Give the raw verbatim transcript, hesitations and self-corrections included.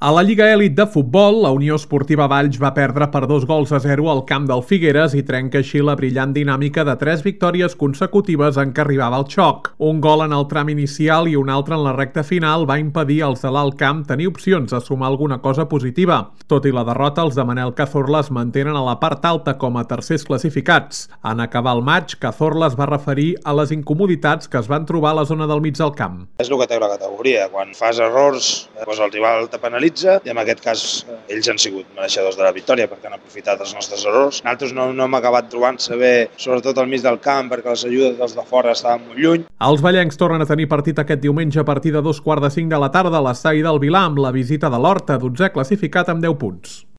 A la Lliga Elit de Futbol, la Unió Esportiva Valls va perdre per dos gols a zero al camp del Figueres i trenca així la brillant dinàmica de tres victòries consecutives en què arribava el xoc. Un gol en el tram inicial i un altre en la recta final va impedir als de l'Alt Camp tenir opcions de sumar alguna cosa positiva. Tot i la derrota, els de Manel Cazorla es mantenen a la part alta com a tercers classificats. En acabar el maig, Cazorla es va referir a les incomoditats que es van trobar a la zona del mig del camp. És el que té la categoria. Quan fas errors, doncs el rival te penalitza i en aquest cas ells han sigut mereixedors de la victòria perquè han aprofitat els nostres errors. Nosaltres no, no hem acabat trobant-se bé, sobretot al mig del camp, perquè les ajudes dels de fora estaven molt lluny. Els vallencs tornen a tenir partit aquest diumenge a partir de dos quarts de cinc de la tarda a l'estadi del Vilar amb la visita de l'Horta, dotzè classificat amb deu punts.